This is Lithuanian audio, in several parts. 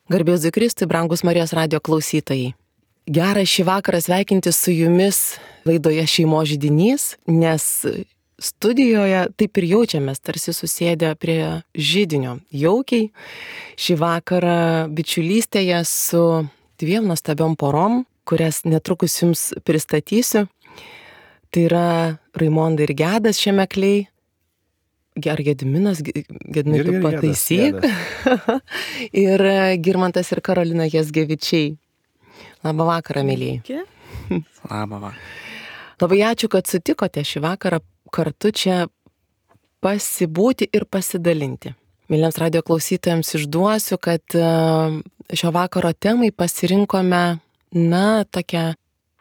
Garbėzui Kristui, brangus Marijos radijo klausytojai. Gera šį vakarą sveikinti su jumis laidoje Šeimos židinys, nes studijoje taip ir jaučiamės, tarsi susėdę prie židinio. Jaukiai šį vakarą bičiulystėje su dviem nuostabiom porom, kurias netrukus jums pristatysiu. Tai yra Raimonda ir Gedas Šemekliai. Ar Gediminas, Gedimai, tu pataisyk. Ir Girmantas ir Karolina Jazgevičiai. Labą vakarą, mėlyjei. Labą vakarą. Labai ačiū, kad sutikote šį vakarą kartu čia pasibūti ir pasidalinti. Mėlyms radijo klausytojams išduosiu, kad šio vakaro temai pasirinkome, tokią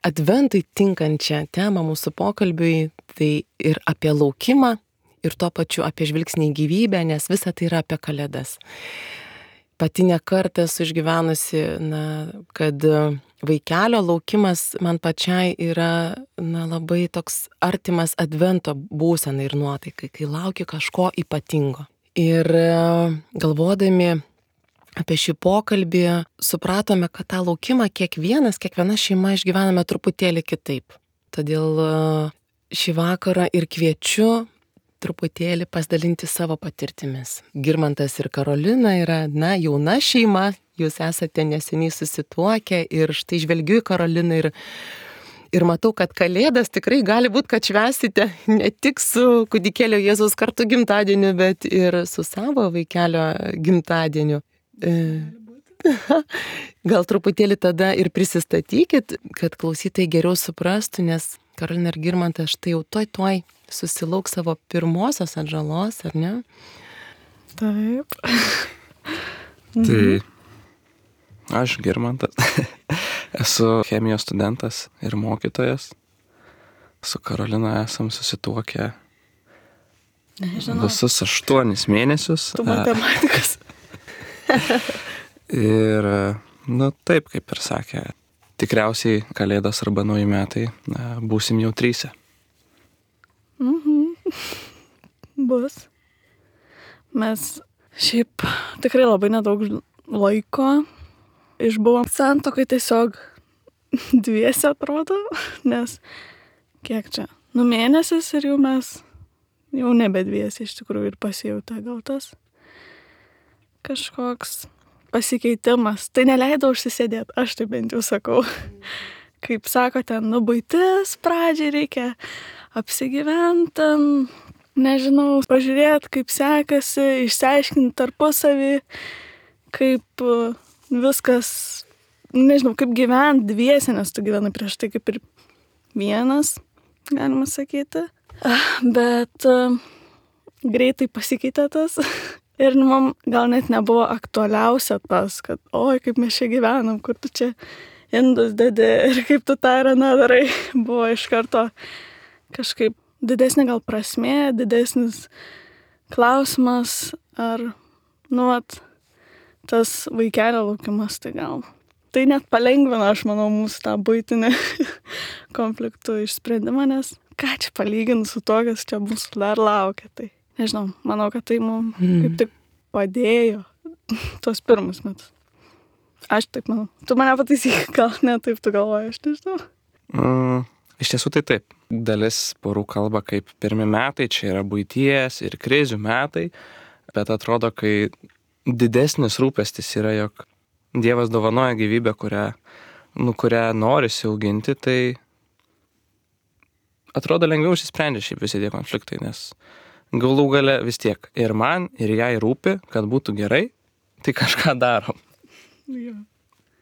adventui tinkančią temą mūsų pokalbiui, tai ir apie laukimą, ir tuo pačiu apie žvilgsnį į gyvybę, nes visa tai yra apie Kalėdas. Pati ne kartą esu išgyvenusi, kad vaikelio laukimas man pačiai yra labai toks artimas advento būsena ir nuotaikai, kai lauki kažko ypatingo. Ir galvodami apie šį pokalbį supratome, kad tą laukimą kiekviena šeima išgyvename truputėlį kitaip. Todėl šį vakarą ir kviečiu truputėlį pasidalinti savo patirtimis. Girmantas ir Karolina yra, jauna šeima, jūs esate neseniai susituokę ir štai žvelgiu į Karoliną ir matau, kad Kalėdas tikrai gali būti, kad švęsite ne tik su kūdikėlio Jėzaus kartu gimtadieniu, bet ir su savo vaikelio gimtadieniu. Gal truputėlį tada ir prisistatykit, kad klausytojai geriau suprastų, nes Karolina ir Girmantas štai jau tuoj susilauks savo pirmosios atžalos, ar ne? Taip. Tai aš Girmantas, esu chemijos studentas ir mokytojas. Su Karolina esam susituokę visus 8 mėnesius. Tu matematikas. Ir, taip, kaip ir sakė, tikriausiai Kalėdos arba nauji metai būsim jau 3. Bus. Mes šiaip tikrai labai nedaug laiko išbuvom santuokai, tiesiog 2 atrodo, nes kiek čia, mėnesis ir jau mes jau nebe 2 iš tikrųjų ir pasijautė gal tas kažkoks pasikeitimas. Tai neleido užsisėdėti, aš tai bent jau sakau. Kaip sako, ten buitis pradžiai reikia apsigyventi, nežinau, pažiūrėti, kaip sekasi, išsiaiškinti tarpusavį, kaip viskas, nežinau, kaip gyventi 2, nes tu gyvenai prieš tai kaip ir 1, galima sakyti. Bet greitai pasikeitė tas. Ir man gal net nebuvo aktualiausia tas, kad oi, kaip mes čia gyvenam, kur tu čia indus dedi ir kaip tu tą ir aną darai. Buvo iš karto kažkaip didesnė gal prasmė, didesnis klausimas, ar, tas vaikelio laukimas, tai gal. Tai net palengvina, aš manau, mūsų tą buitinį konfliktų išsprendimą, nes ką čia palyginti su to, kas čia mūsų dar laukia, tai. Nežinau, manau, kad tai mums kaip tik padėjo tos pirmus metus. Aš taip manau. Tu mane pataisyk, gal ne taip tu galvoji, aš nežinau. Iš tiesų tai taip. Dalis porų kalba kaip pirmi metai, čia yra buities ir krizių metai, bet atrodo, kai didesnis rūpestis yra, jog Dievas dovanoja gyvybę, kurią norisi auginti, tai atrodo lengviau išsisprendžia šiaip visi tie konfliktai, nes galų gale vis tiek ir man, ir jai rūpi, kad būtų gerai, tai kažką darom. Ja.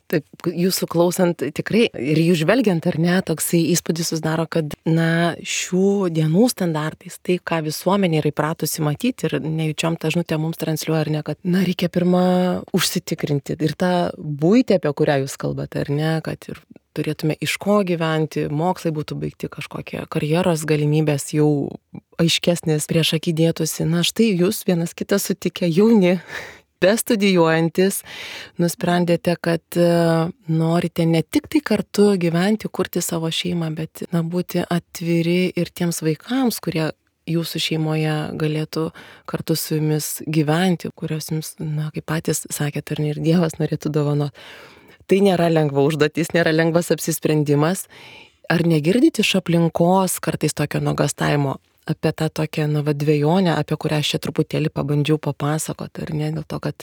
Taip, jūsų klausant tikrai ir jūs žvelgiant, ar ne, toksai įspūdis susidaro, kad, šių dienų standartais, tai, ką visuomenė yra įpratusi matyti ir nejučiom tą žinutę mums transliuoja, ar ne, kad, reikia pirma užsitikrinti ir tą buitį, apie kurią jūs kalbate, ar ne, kad ir turėtume iš ko gyventi, mokslai būtų baigti, kažkokie karjeros galimybės jau aiškesnės prieš akį dėtųsi. Štai jūs vienas kitą sutikę jauni, bestudijuojantis, nusprendėte, kad norite ne tik tai kartu gyventi, kurti savo šeimą, bet būti atviri ir tiems vaikams, kurie jūsų šeimoje galėtų kartu su jumis gyventi, kurios jums, kaip patys sakėte, ir Dievas norėtų dovanoti. Tai nėra lengva užduotis, nėra lengvas apsisprendimas. Ar negirdite iš aplinkos kartais tokio nuogąstavimo apie tą tokią dvejonę, apie kurią aš čia truputėlį pabandžiau papasakoti, ar ne, dėl to, kad,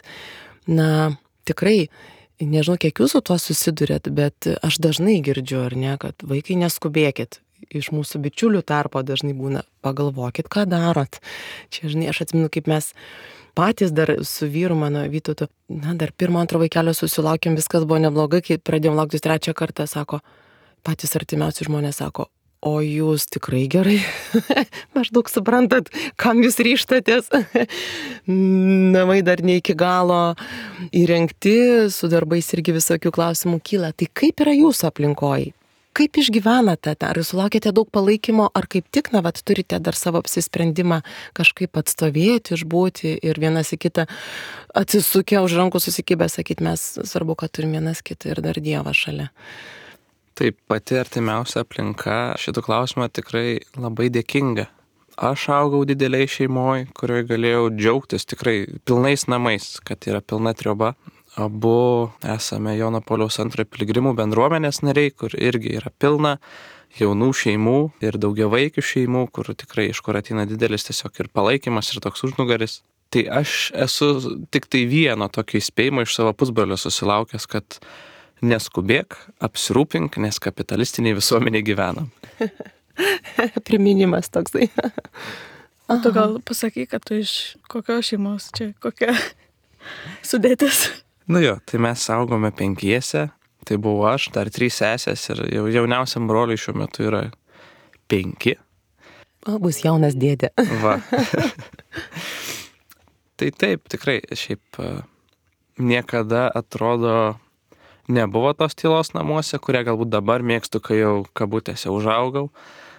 tikrai, nežinau, kiek jūs su tuo susidurėt, bet aš dažnai girdžiu, ar ne, kad vaikai neskubėkit. Iš mūsų bičiulių tarpo dažnai būna, pagalvokit, ką darot. Čia, žinai, aš atsimenu, kaip mes patys dar su vyru mano Vytautu, dar 1-2 vaikelio susilaukėm, viskas buvo neblogai, kai pradėjom lauktis 3 kartą, sako, patys artimiausi žmonės sako, o jūs tikrai gerai, maždaug suprantat, kam jūs ryžtatės. Namai dar ne iki galo įrengti, su darbais irgi visokių klausimų kyla. Tai kaip yra jūsų aplinkoje? Kaip išgyvenate? Ar jūs sulaukėte daug palaikymo, ar kaip tik, turite dar savo apsisprendimą kažkaip atstovėti, išbūti ir vienas į kitą atsisukę už rankų susikibę, sakyti, mes svarbu, kad turim vienas kitą ir dar Dievą šalia. Taip, pati artimiausia aplinka šitų klausimą tikrai labai dėkinga. Aš augau dideliai šeimoje, kurioje galėjau džiaugtis tikrai pilnais namais, kad yra pilna trioba. Abu esame Jono Pauliaus II piligrimų bendruomenės nariai, kur irgi yra pilna jaunų šeimų ir daugiavaikių šeimų, kur tikrai iš kur ateina didelis tiesiog ir palaikymas ir toks užnugaris. Tai aš esu tik tai vieno tokio įspėjimo iš savo pusbrolio susilaukęs, kad neskubėk, apsirūpink, nes kapitalistiniai visuomeniai gyvenam. Priminimas toksai. Tu gal pasakyk, kad tu iš kokios šeimos čia, kokia sudėtis? Tai mes augome 5, tai buvo aš, dar 3 sesės ir jauniausiam broliui šiuo metu yra 5. O, bus jaunas dėdė. Va. Tai taip, tikrai, šiaip niekada atrodo nebuvo tos tylos namuose, kurią galbūt dabar mėgstu, kai jau kabutėse užaugau,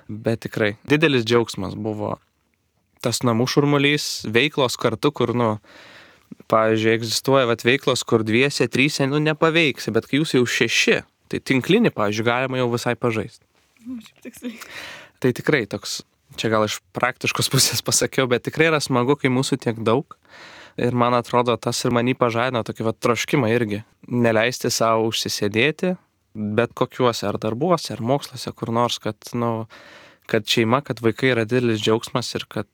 bet tikrai didelis džiaugsmas buvo tas namų šurmulys, veiklos kartu, kur, pavyzdžiui, egzistuoja veiklos, kur 2, 3, nepaveiksi, bet kai jūs jau 6, tai tinklinį, pavyzdžiui, galima jau visai pažaisti. Tai tikrai toks, čia gal iš praktiškos pusės pasakiau, bet tikrai yra smagu, kai mūsų tiek daug. Ir man atrodo, tas ir manį pažadino tokį troškimą irgi. Neleisti savo užsisėdėti, bet kokiuose ar darbuose, ar moksluose, kur nors, kad šeima, kad vaikai yra didelis džiaugsmas ir kad...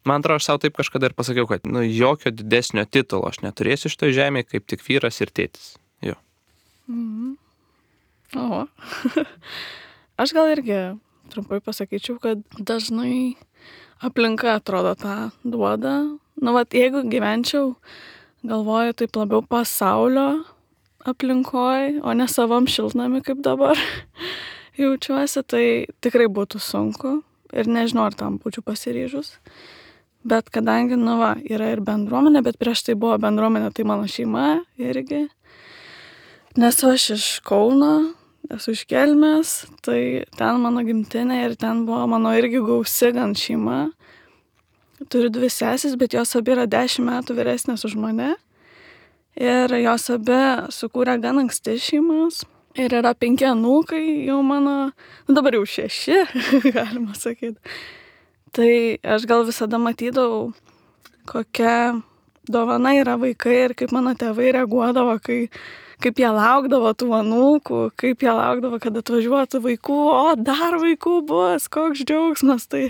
Man atrodo, aš savo taip kažkada ir pasakiau, kad jokio didesnio titulo aš neturėsiu šitoj žemėje, kaip tik vyras ir tėtis. Jo. O. Aš gal irgi trumpai pasakyčiau, kad dažnai aplinka atrodo tą duoda. Jeigu gyvenčiau, galvoju, taip labiau pasaulio aplinkoj, o ne savam šiltnami kaip dabar jaučiuosi, tai tikrai būtų sunku ir nežinau, ar tam būčiau pasiryžus. Bet kadangi, yra ir bendruomenė, bet prieš tai buvo bendruomenė, tai mano šeima irgi. Nesu aš iš Kauno, esu iš Kelmės, tai ten mano gimtinė ir ten buvo mano irgi gausi gan šeima. Turiu 2 sesis, bet jos abi yra 10 metų vyresnės už mane. Ir jos abi sukūrė gan anksti šeimas. Ir yra 5 anūkai, jau mano, dabar jau 6, galima sakyti. Tai aš gal visada matydavau, kokia dovana yra vaikai ir kaip mano tėvai reaguodavo, kaip jie laukdavo tų anūkų, kaip jie laukdavo, kad atvažiuotų vaikų, o dar vaikų bus, koks džiaugsmas. Tai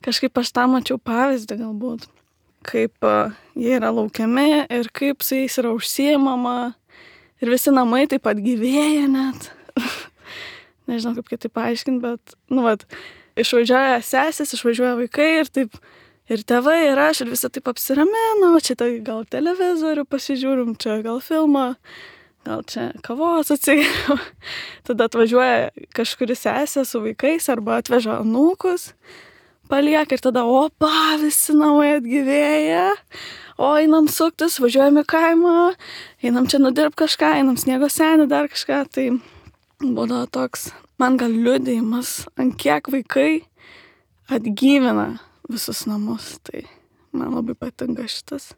kažkaip aš tą mačiau pavyzdį galbūt, kaip jie yra laukiami ir kaip su jais yra užsiimama ir visi namai taip pat gyvėja net. Nežinau, kaip kitaip paaiškinti, bet, išvažiuoja sesės, išvažiuoja vaikai ir taip, ir tėvai, ir aš, ir visi taip apsiramena, čia tai gal televizorių pasižiūrim, čia gal filmą, gal čia kavos atsigeriam. Tada atvažiuoja kažkuri sesė su vaikais arba atveža anūkus, palieka ir tada, opa, visi namai atgyvėja, o einam suktis, važiuojam į kaimą, einam čia nudirbt kažką, einam sniego senį, dar kažką, tai būdavo toks, man gal liudijimas, ant kiek vaikai atgyvina visus namus, tai man labai patinka šitas.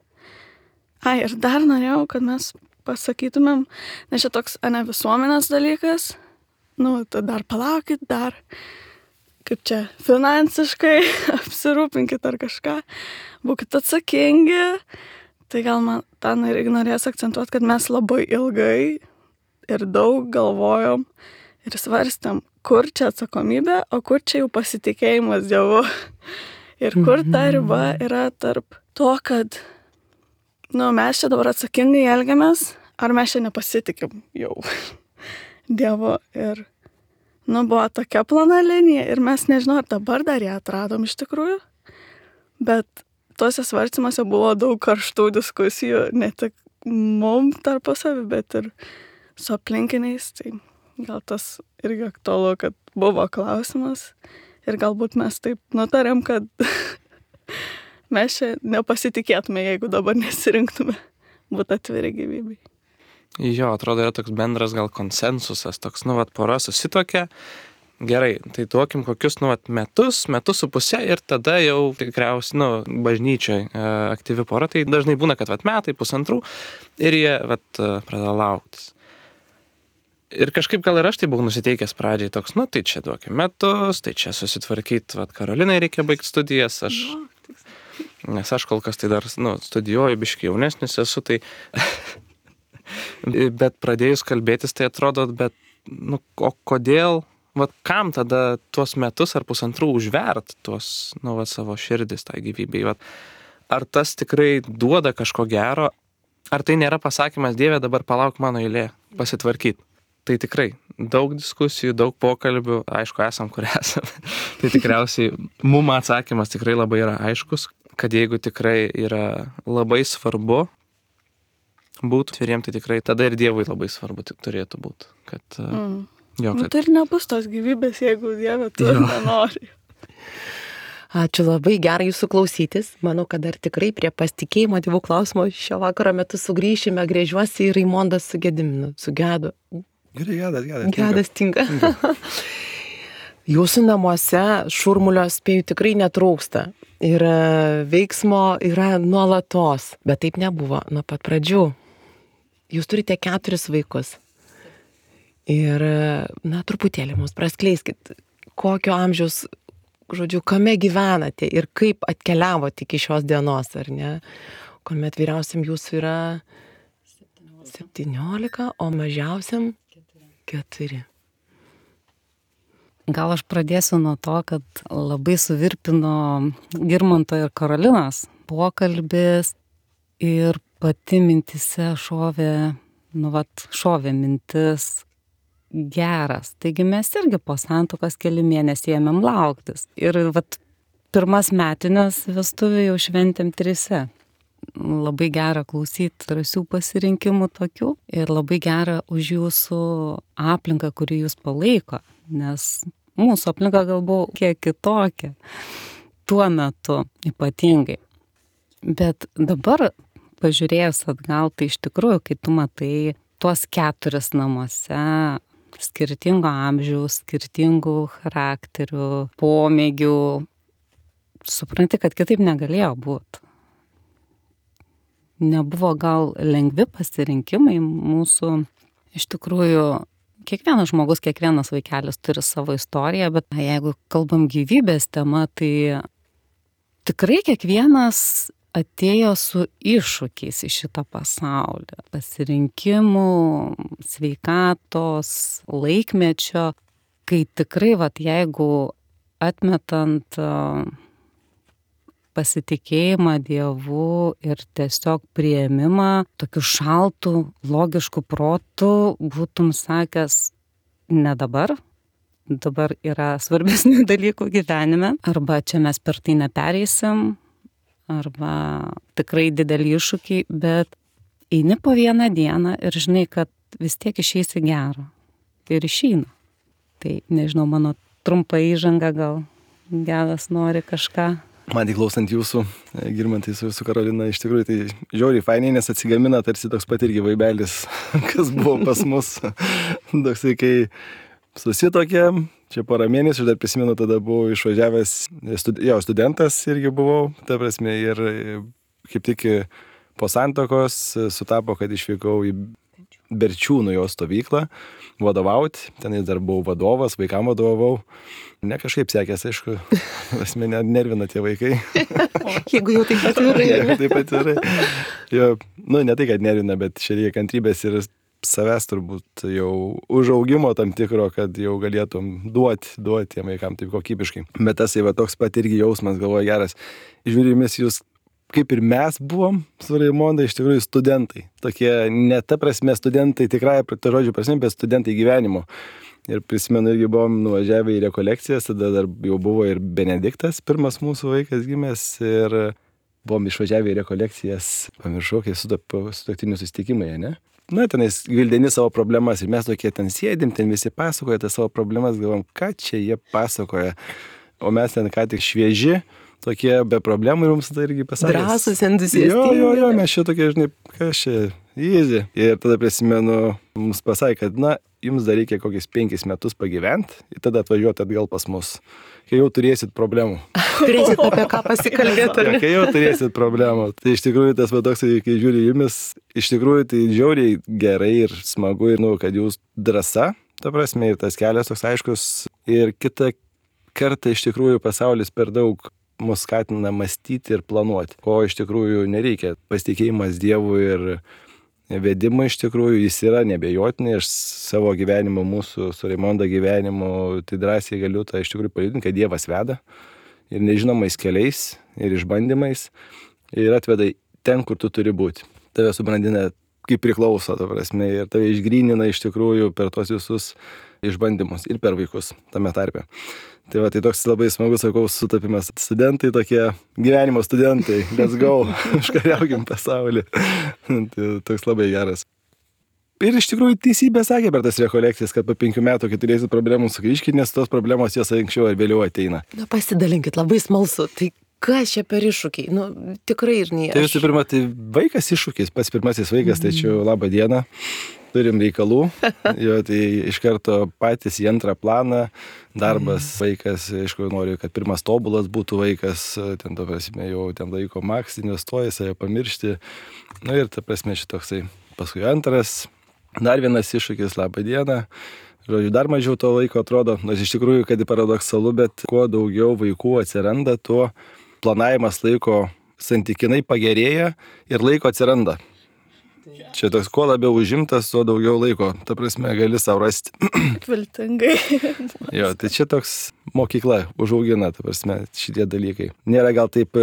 Ir dar norėjau, kad mes pasakytumėm, nes čia toks visuomenės dalykas, tai dar palaukit, dar kaip čia, finansiškai apsirūpinkit ar kažką, būkit atsakingi. Tai gal man ten ir norės akcentuoti, kad mes labai ilgai ir daug galvojom ir svarstėm, kur čia atsakomybė, o kur čia jau pasitikėjimas Dievu. Ir kur ta riba yra tarp to, kad mes čia dabar atsakingai elgiamės, ar mes čia nepasitikim jau Dievu. Ir buvo tokia plona linija ir mes nežinau, ar dabar dar ją atradom iš tikrųjų, bet tuose svarstymuose buvo daug karštų diskusijų, ne tik mum tarpusavy, bet ir su aplinkiniais. Tai gal tas irgi aktualu, kad buvo klausimas ir galbūt mes taip nutarėm, kad mes čia nepasitikėtume, jeigu dabar nesirinktume būti atviri gyvybei. Jo, atrodo, yra toks bendras gal konsensusas, toks, pora susitokia. Gerai, tai duokim kokius, metus su pusė ir tada jau tikriausiai, bažnyčioje aktyvi pora, tai dažnai būna, kad metai, pusantrų ir jie, pradeda lauktis. Ir kažkaip gal ir aš tai buvau nusiteikęs pradžiai toks, tai čia duokim metus, tai čia susitvarkyti, Karolinai reikia baigti studijas, nes aš kol kas tai dar, studijuoju, biškai jaunesnis esu, tai bet pradėjus kalbėtis, tai atrodo, o kodėl, kam tada tuos metus ar pusantrų užvert tuos, savo širdis tai gyvybei, ar tas tikrai duoda kažko gero, ar tai nėra pasakymas, Dieve, dabar palauk mano eilė, pasitvarkyti. Tai tikrai daug diskusijų, daug pokalbių, aišku, esam, kur esam. Tai tikriausiai mum atsakymas tikrai labai yra aiškus, kad jeigu tikrai yra labai svarbu būtų tviriem, tai tikrai tada ir Dievui labai svarbu turėtų būti. Kad, Tai ir nebus tos gyvybės, jeigu Dieve tu nenori. Ačiū, labai gera jūsų klausytis. Manau, kad dar tikrai prie pasitikėjimo Dievu klausimo šio vakaro metu sugrįšime. Grėžiuosi į Raimondą su Gediminu, su Gedu. Gedas tinka. Jūsų namuose šurmulio, spėju, tikrai netrūksta. Ir veiksmo yra nuolatos. Bet taip nebuvo nuo pat pradžių. Jūs turite 4 vaikus. Ir, truputėlį mums praskleiskit, kokio amžiaus, kame gyvenate ir kaip atkeliavote iki šios dienos, ar ne? Kuomet vyriausiam jūsų yra 17, o mažiausiam 4. Gal aš pradėsiu nuo to, kad labai suvirpino Girmanto ir Karolinos pokalbis ir pati mintise šovė mintis geras. Taigi mes irgi po santuokos keli mėnesiai ėmėm lauktis. Ir pirmas metinės vestuvių jau šventėm 3. Labai gera klausyti drąsių pasirinkimų tokių ir labai gera už jūsų aplinką, kuri jūs palaiko, nes mūsų aplinka gal buvo kiek kitokia tuo metu ypatingai. Bet dabar pažiūrėjus atgal, tai iš tikrųjų, kai tu matai tuos 4 namuose, skirtingo amžiaus, skirtingų charakterių, pomėgių, supranti, kad kitaip negalėjo būti. Nebuvo gal lengvi pasirinkimai mūsų, iš tikrųjų, kiekvienas žmogus, kiekvienas vaikelis turi savo istoriją, bet jeigu kalbam gyvybės tema, tai tikrai kiekvienas atėjo su iššūkiais į šitą pasaulį. Pasirinkimų, sveikatos, laikmečio, kai tikrai, jeigu atmetant pasitikėjimą Dievu ir tiesiog priėmimą, tokiu šaltų, logišku protu būtum sakęs, ne dabar yra svarbesnių dalykų gyvenime, arba čia mes per tai nepereisim, arba tikrai didelį iššūkį, bet eini po vieną dieną ir žinai, kad vis tiek išeisi gero. Ir išeina. Tai nežinau, mano trumpa įžanga, gal Gedas nori kažką. Man tik klausant jūsų, Girmantai su Karolina, iš tikrųjų tai žiauriai fainiai, nes atsigamina tarsi toks pat irgi vaibelis, kas buvo pas mus. Toksai, kai susitokėm, čia porą mėnesių, aš dar prisimenu, tada buvau išvažiavęs, studentas irgi buvau, ta prasme, ir kaip tik po santuokos sutapo, kad išvykau į Berčiūnų jo stovyklą vadovauti. Tenais dar buvau vadovas, vaikam vadovavau. Ne kažkaip sekės, aišku, asmenį nervina tie vaikai. Jeigu jau taip atvirai. Jeigu taip atvirai. Jo, nu, ne tai, kad nervina, bet čia reikia kantrybės ir savęs turbūt jau užaugimo tam tikro, kad jau galėtum duoti tiem vaikam taip kokybiškai. Bet tas va toks pat irgi jausmas, galvoju, geras. Žiūrėmis, jūs kaip ir mes buvom su Raimonda iš tikrųjų studentai. Tokie ne ta prasme studentai, tikrąja to žodžio prasme, bet studentai gyvenimo. Ir prisimenu, irgi buvom nuvažiavę į rekolekcijas, tada dar jau buvo ir Benediktas, pirmas mūsų vaikas gimęs, ir buvom išvažiavę į rekolekcijas, pamiršau, kai sutuoktinių susitikimai, ne? Na, tenais gvildeni savo problemas ir mes tokie ten sėdim, ten visi pasakoja tas savo problemas, galvom, ką čia jie pasakoja. O mes ten ką tik švieži, tokie be problemų ir mums tai irgi pasakė. Drąsus, entuziastingi. Jo, mes čia tokie, žinai, kas čia, easy. Ir tada prisimenu, mums pasakė, kad, na, jums dar reikia kokius 5 metus pagyventi ir tada atvažiuoti atgal pas mus, kai jau turėsit problemų. Turėsit apie ką pasikalbėti. Ja, kai jau turėsit problemų. Tai iš tikrųjų tas va toks, kai žiūri jumis, iš tikrųjų tai žiauriai gerai ir smagu, ir, nu, kad jūs drąsa, ta prasme, ir tas kelias toks aiškus. Ir kitą kartą iš tikrųjų pasaulis per daug mus skatina mąstyti ir planuoti, ko iš tikrųjų nereikia. Pasitikėjimas Dievu ir vedimo iš tikrųjų jis yra nebejotinai. Aš savo gyvenimo, mūsų su Raimonda gyvenimu, tai drąsiai galiu tą iš tikrųjų paliudinti, kad Dievas veda ir nežinomais keliais ir išbandymais ir atveda ten, kur tu turi būti. Tave subrandina kaip priklauso, ta prasme, ir tave išgrynina iš tikrųjų per tos visus išbandymus ir per vaikus tame tarpe. Tai va, tai toks labai smagus, sakau, sutapimas. Studentai tokie, gyvenimo studentai, let's go, užkariaukim pasaulį. Tai toks labai geras. Ir iš tikrųjų teisybė sakė per tas rekolekcijas, kad po 5 metų, kai turėsit problemų, sugrįžkit, nes tos problemos jos anksčiau ar vėliau ateina. Na, pasidalinkit, labai smalsu. Tai kas čia per iššūkiai? Nu, tikrai ir ne. Tai visų pirma, tai vaikas iššūkis, pats pirmasis vaikas, tai čia labą dieną. Turim reikalų, jo, tai iš karto patys į antrą planą, darbas, vaikas, aišku, noriu, kad pirmas tobulas būtų vaikas, ten, ta prasme, jau ten laiko maks, investuoja, save pamiršti, nu ir, ta prasme, šitoksai, paskui antras, dar vienas iššūkis, labą dieną, žodžiu, dar mažiau to laiko atrodo, nors iš tikrųjų, kad paradoksalu, bet kuo daugiau vaikų atsiranda, tuo planavimas laiko santykinai pagerėja ir laiko atsiranda. Čia toks, kuo labiau užimtas, tuo daugiau laiko, ta prasme, gali savo rasti. Viltingai. Jo, tai čia toks mokykla užaugina, ta prasme, šitie dalykai. Nėra gal taip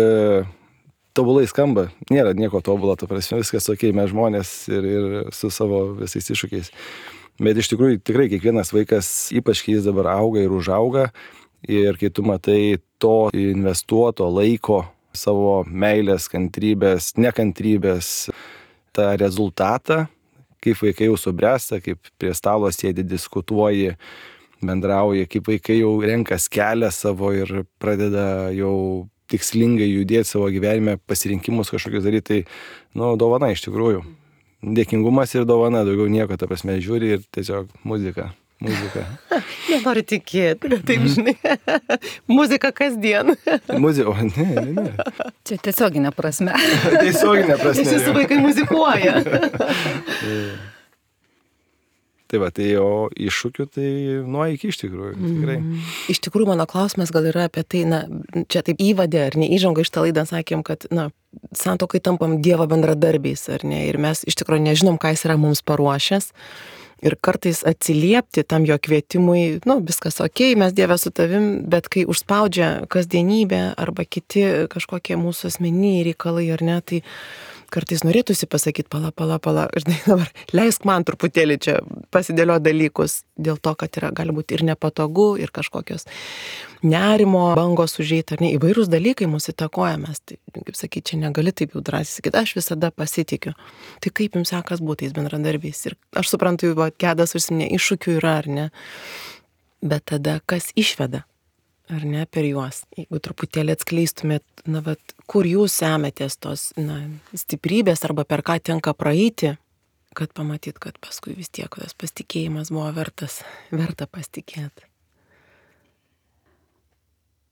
tobulai skamba, nėra nieko tobulo, ta prasme, viskas ok, mes žmonės ir su savo visais iššūkiais. Bet iš tikrųjų, tikrai kiekvienas vaikas, ypač kai jis dabar auga ir užauga, ir kai tu matai to investuoto laiko, savo meilės, kantrybės, nekantrybės, tą rezultatą, kaip vaikai jau subręsta, kaip prie stalo sėdi, diskutuoji, bendrauji, kaip vaikai jau renkas kelią savo ir pradeda jau tikslingai judėti savo gyvenime, pasirinkimus kažkokius daryti, tai, nu, dovana iš tikrųjų. Dėkingumas ir dovana, daugiau nieko, ta prasme, žiūri ir tiesiog muzika. Nenoriu tikėti, bet taip, žinai, muzika kasdien. Muzika, o ne. Čia tiesioginė prasme. Tiesioginė prasme. Nes jūsų vaikai muzikuoja. Tai va, tai o iššūkių tai nuo iki iš tikrųjų, tikrai. Iš tikrųjų, mano klausimas gal yra apie tai, na, čia taip įvadė ar ne, įžanga iš tą laidą sakėm, kad, na, santuokai tampam Dievo bendradarbiais, ar ne, ir mes iš tikrųjų nežinom, ką jis yra mums paruošęs. Ir kartais atsiliepti tam jo kvietimui, nu, viskas okei, mes Dieve su tavim, bet kai užspaudžia kasdienybė arba kiti kažkokie mūsų asmeniniai reikalai, ar ne, tai kartais norėtųsi pasakyti, pala, ir dabar leisk man truputėlį čia pasidėlio dalykus, dėl to, kad yra gali būti ir nepatogu, ir kažkokios nerimo bangos užeiti, ar ne, įvairūs dalykai mūsų įtakoja, mes, tai, kaip sakyti, čia negali taip jau drąsiai sakyti, aš visada pasitikiu. Tai kaip jums sekas būti tais bendradarbiais? Ir aš suprantu, va, Gedas užsiminė, iššūkių yra, ar ne, bet tada kas išveda? Ar ne, per juos, jeigu truputėlį atskleistumėt, na, vat, kur jūs semetės tos, na, stiprybės arba per ką tenka praeiti, kad pamatyt, kad paskui vis tiek tas pasitikėjimas buvo verta pasitikėti.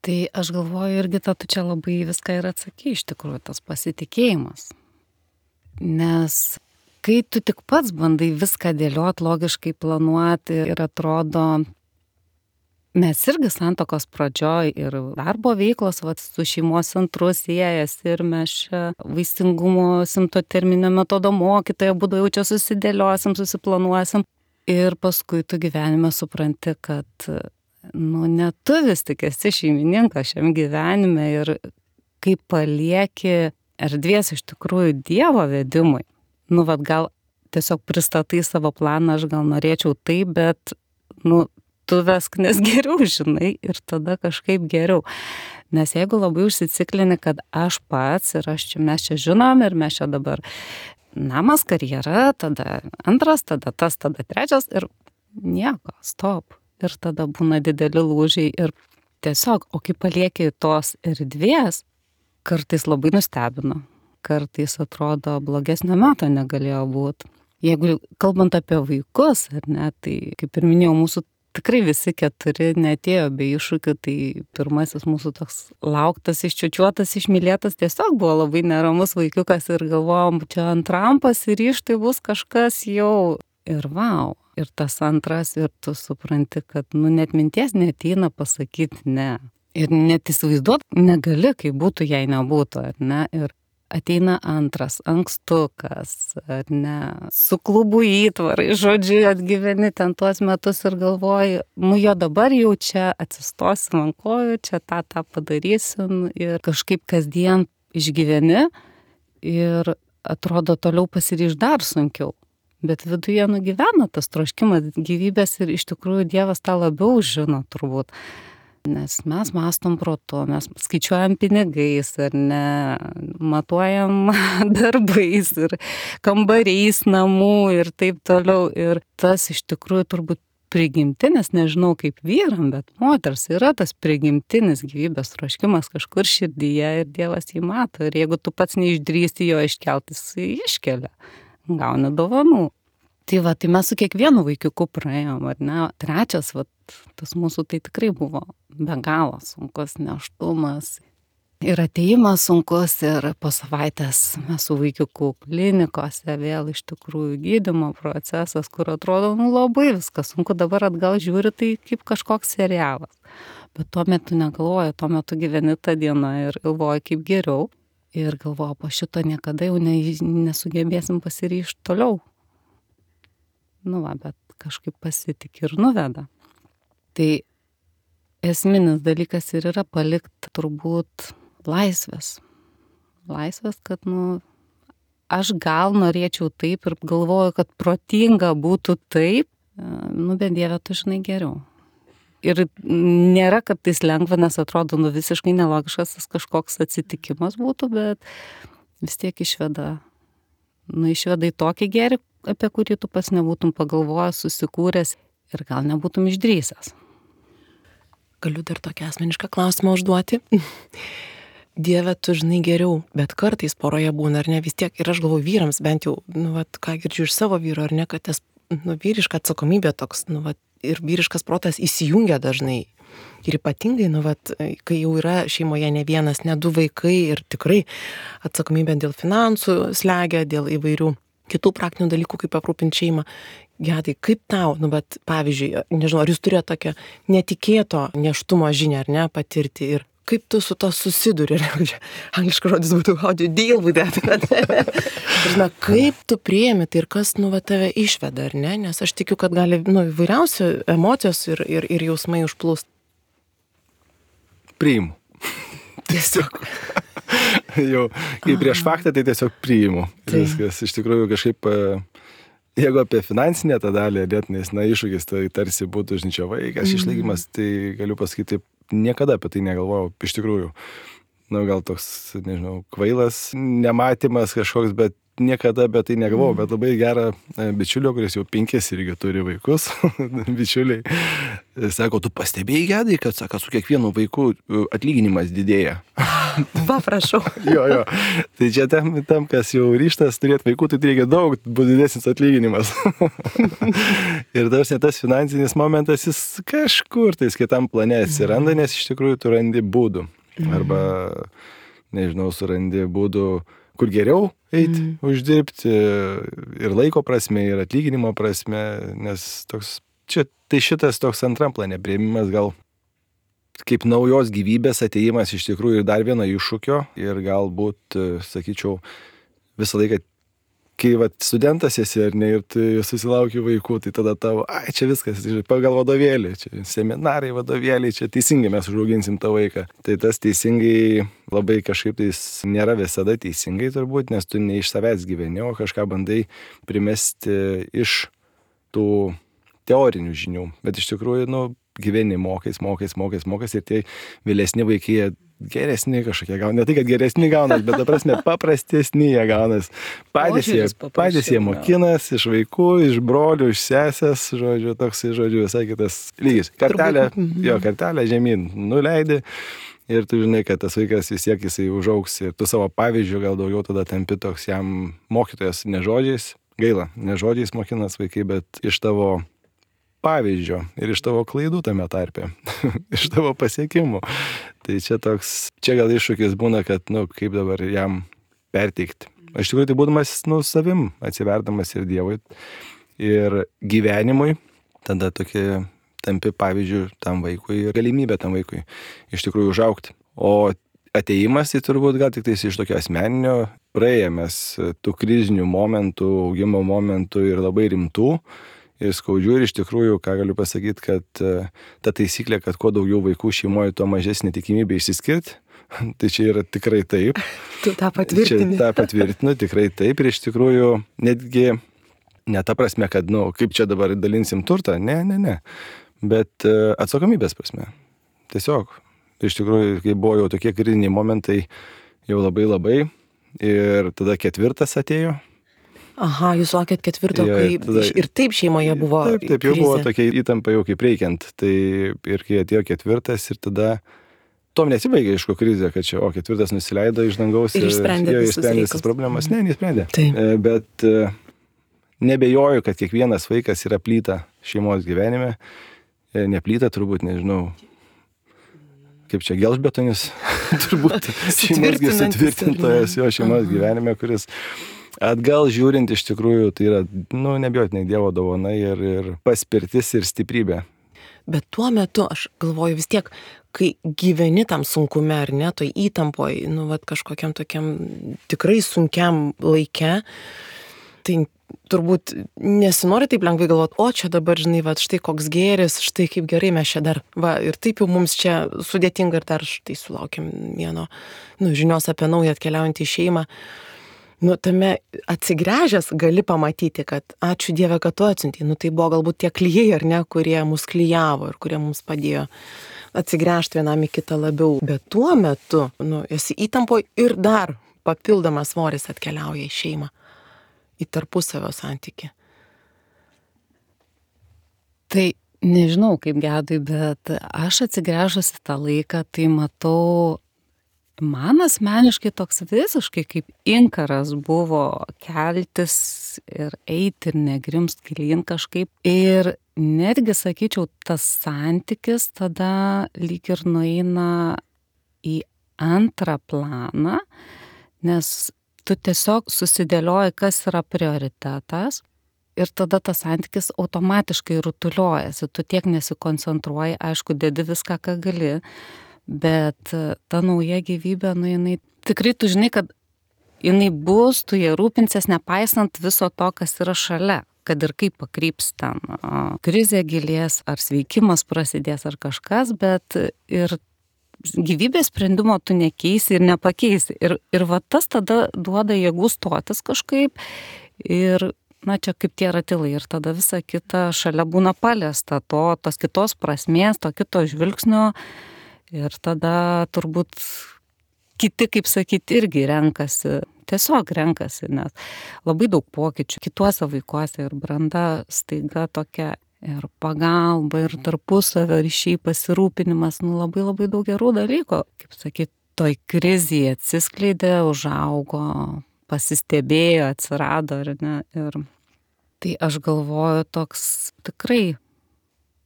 Tai aš galvoju, irgi tu čia labai viską ir atsakai, iš tikrųjų, tas pasitikėjimas. Nes kai tu tik pats bandai viską dėliot, logiškai planuoti ir atrodo, mes irgi santuokos pradžioj ir darbo veiklos su šeimos centru siejas ir mes čia vaisingumo simptoterminio metodo mokytoja būdu jau čia susidėliosim, susiplanuosim. Ir paskui tu gyvenime supranti, kad ne tu vis tik esi šeimininkas šiam gyvenime ir kai palieki erdvės iš tikrųjų Dievo vedimui, gal tiesiog pristatai savo planą, aš gal norėčiau taip, bet tu vesk, nes geriau žinai ir tada kažkaip geriau. Nes jeigu labai užsiciklini, kad aš pats ir mes čia žinom ir mes čia dabar namas, karjera, tada antras, tada tas, tada trečias ir nieko, stop. Ir tada būna dideli lūžiai ir tiesiog, o kai palieki tos erdvės, kartais labai nustebino, kartais atrodo blogesnio meto negalėjo būti. Jeigu kalbant apie vaikus, ar ne, tai kaip ir minėjau, mūsų tikrai visi 4 neatėjo be iššūkių, tai pirmasis mūsų toks lauktas, iščiučiuotas, išmylėtas tiesiog buvo labai neramus vaikiukas ir galvojom, čia antram pasiryžtai bus kažkas jau ir vau. Ir tas antras ir tu supranti, kad net minties neateina pasakyti ne. Ir net įsivaizduot negali, kaip būtų, jei nebūtų, ar ne. Ir ateina antras, ankstukas, ar ne, su klubų įtvarai, žodžiu, atgyveni ten tuos metus ir galvoji, jo dabar jau čia atsistosim ant kojų, čia tą padarysim ir kažkaip kasdien išgyveni ir atrodo toliau pasiryš dar sunkiau. Bet viduje nugyvena tas troškimas gyvybės ir iš tikrųjų Dievas tą labiau žino turbūt. Nes mes mąstom protu, mes skaičiuojam pinigais ar ne, matuojam darbais ir kambariais namų ir taip toliau. Ir tas iš tikrųjų turbūt prigimtinis, nežinau kaip vyram, bet moters yra tas prigimtinis gyvybės troškimas kažkur širdyje ir Dievas jį mato. Ir jeigu tu pats neišdrįsti jo iškelti, jis iškelia, gauni dovanų. Tai mes su kiekvienu vaikiuku praėjom, ar ne? Trečias, tas mūsų tai tikrai buvo be galo sunkus nėštumas. Ir atėjimas sunkus, ir po savaitės mes su vaikiuku klinikose vėl iš tikrųjų gydymo procesas, kur atrodo, labai viskas sunku, dabar atgal žiūri, tai kaip kažkoks serialas. Bet tuo metu negalvoju, tuo metu gyveni tą dieną ir galvoju, kaip geriau. Ir galvoju, po šito niekada jau nesugebėsim pasiryžti toliau. Bet kažkaip pasitik ir nuveda. Tai esminis dalykas ir yra palikti turbūt laisvės. Laisvės, kad aš gal norėčiau taip ir galvoju, kad protinga būtų taip, bet Dieve, tu žinai geriau. Ir nėra, kad tai lengva, nes atrodo, visiškai nelogiškas tas kažkoks atsitikimas būtų, bet vis tiek išveda į tokį gėrį, apie kurį tu pas nebūtum pagalvojęs, susikūręs ir gal nebūtum išdrįsęs. Galiu dar tokią asmenišką klausimą užduoti. Dieve, tu žinai geriau, bet kartais poroje būna, ar ne, vis tiek, ir aš galvoju vyrams, bent jau, ką girdžiu iš savo vyro, ar ne, kad tas, vyriška atsakomybė toks, ir vyriškas protas įsijungia dažnai. Ir ypatingai, kai jau yra šeimoje ne vienas, ne 2 vaikai ir tikrai atsakomybė dėl finansų slegia, dėl įvairių kitų praktinių dalykų, kaip aprūpinti šeimą. Gedai, kaip tau, pavyzdžiui, nežinau, ar jūs turėjote tokią netikėto nėštumo žinią, ar ne, patirti ir kaip tu su to susiduri, angliškas žodis būtų how do you deal with that. Kaip tu priemi tai ir kas, tave išveda, ar ne, nes aš tikiu, kad gali, įvairiausių emocijos ir jausmai užplūst. Priimu. Tiesiog. Jau, kai prieš faktą, tai tiesiog priimu. Viskas iš tikrųjų kažkaip, jeigu apie finansinę tą dalį, nes iššūkis tai tarsi būtų žinčio vaikas, išlaikymas, tai galiu pasakyti, niekada apie tai negalvojau, iš tikrųjų. Gal toks, nežinau, kvailas nematymas kažkoks, bet niekada apie tai negalvojau, bet labai gerą bičiulio, kuris jau 5 irgi turi vaikus, bičiuliai, sako, tu pastebėjai, Gedai, kad, sako, su kiekvienu vaiku atlyginimas didėja. Va, prašau. Jo. Tai čia tam, kas jau ryštas turėti vaikų, tai reikia daug, bus didesnis atlyginimas. Ir tas finansinis momentas, jis kažkur tais kitam plane atsiranda, nes iš tikrųjų tu randi būdų. Arba, nežinau, surandi būdų kur geriau eiti, uždirbti ir laiko prasme, ir atlyginimo prasme, nes tai šitas toks antram plane priėmimas gal kaip naujos gyvybės atėjimas iš tikrųjų ir dar vieno iššūkio ir galbūt, sakyčiau, visą laiką, kai studentas esi ar ne ir tu susilauki vaikų, tai tada tavo, čia viskas, pagal vadovėlį, čia seminarai, vadovėliai, čia teisingai mes užauginsim tą vaiką. Tai tas teisingai labai kažkaip tai nėra visada teisingai turbūt, nes tu ne iš savęs gyveni, o kažką bandai primesti iš tų teorinių žinių. Bet iš tikrųjų, gyveni mokais ir tie vėlesni vaikai geresni kažkokie gauna. Ne tai, kad geresni gaunas, bet ta prasme paprastesni jie gaunas. Patys jie mokinas iš vaikų, iš brolių, iš sesės, žodžiu, toks, žodžiu, visai kitas lygis. Kartelę žemyn nuleidi ir tu žinai, kad tas vaikas vis tiek jisai užaugs ir tu savo pavyzdžių gal daugiau tada tampi toks jam mokytojas ne žodžiais, gaila, ne žodžiais mokinas vaikai, bet iš tavo pavyzdžio ir iš tavo klaidų tame tarpe, iš tavo pasiekimų. Tai čia gal iššūkis būna, kad, kaip dabar jam perteikti. Aš tikrųjų tai būdamas, savim, atsiverdamas ir Dievui, ir gyvenimui, tada tokie tampi pavyzdžių tam vaikui ir galimybė tam vaikui iš tikrųjų užaugti. O atėjimas tai turbūt gal tik tais iš tokio asmeninio, praėjėmės tų krizinių momentų, augimo momentų ir labai rimtų, ir skaudžių, ir iš tikrųjų, ką galiu pasakyti, kad ta taisyklė, kad kuo daugiau vaikų šeimoje, tuo mažesnė tikimybė išsiskirti, tai čia yra tikrai taip. Tu tą patvirtini. Tą patvirtinu, tikrai taip, ir iš tikrųjų netgi ne ta prasme, kad, kaip čia dabar dalinsim turtą, ne, bet atsakomybės prasme. Tiesiog, iš tikrųjų, kai buvo jau tokie kriziniai momentai, jau labai, ir tada 4 atėjo. Aha, jūs sakėt 4, kai ir taip šeimoje buvo Taip, jau buvo tokia įtampa jau kaip reikiant. Tai ir kai atėjo 4 ir tada tom nesibaigė aišku krizė, kad čia, 4 nusileido iš dangaus ir išsprendė visas problemas. Ne, neišsprendė. Bet nebejoju, kad kiekvienas vaikas yra plyta šeimos gyvenime. Neplyta turbūt, nežinau, kaip čia gelžbetonis, turbūt šeimos sutvirtintojas jo šeimos gyvenime, kuris atgal žiūrint iš tikrųjų tai yra, nebijotinai Dievo dovana ir paspirtis ir stiprybė. Bet tuo metu, aš galvoju vis tiek, kai gyveni tam sunkume ar ne, toj įtampoj, kažkokiam tokiam tikrai sunkiam laike, tai turbūt nesinori taip lengvai galvoti, čia dabar, žinai, štai koks gėris, štai kaip gerai mes čia dar, ir taip jau mums čia sudėtinga ir dar štai sulaukėm vieno, žinios apie naują atkeliaujantį šeimą. Tame atsigręžęs gali pamatyti, kad ačiū Dieve, kad tu atsiuntei. Tai buvo galbūt tie klijai, ar ne, kurie mus klijavo ir kurie mums padėjo atsigręžti vienam į kitą labiau. Bet tuo metu, esi įtampoje ir dar papildomas svoris atkeliauja į šeimą, į tarpusavio santykį. Tai nežinau kaip Gedui, bet aš atsigręžusi tą laiką, tai matau, man asmeniškai toks visiškai kaip inkaras buvo keltis ir eiti ir negrimst gilyn kažkaip. Ir netgi, sakyčiau, tas santykis tada lyg ir nueina į antrą planą, nes tu tiesiog susidėlioji, kas yra prioritetas. Ir tada tas santykis automatiškai rutuliuojasi, tu tiek nesikoncentruoji, aišku, dedi viską, ką gali. Bet ta nauja gyvybė, jinai tikrai tu žinai, kad jinai bus, tu jie rūpinsies, nepaisant viso to, kas yra šalia, kad ir kaip pakryps ten krizė gilės, ar sveikimas prasidės, ar kažkas, bet ir gyvybės sprendimo tu nekeisi ir nepakeisi. Ir tas tada duoda jėgų stotis kažkaip ir, čia kaip tie ratilai ir tada visa kita šalia būna paliesta tos kitos prasmės, to kito žvilgsnio. Ir tada turbūt kiti, kaip sakyti, irgi tiesiog renkasi, nes labai daug pokyčių kituose vaikuose ir branda staiga tokia ir pagalba, ir tarpusavio ryšiai, pasirūpinimas, labai daug gerų dalykų, kaip sakyti, toj krizėje atsiskleidė, užaugo, pasistebėjo, atsirado, ar ne. Ir tai aš galvoju toks tikrai,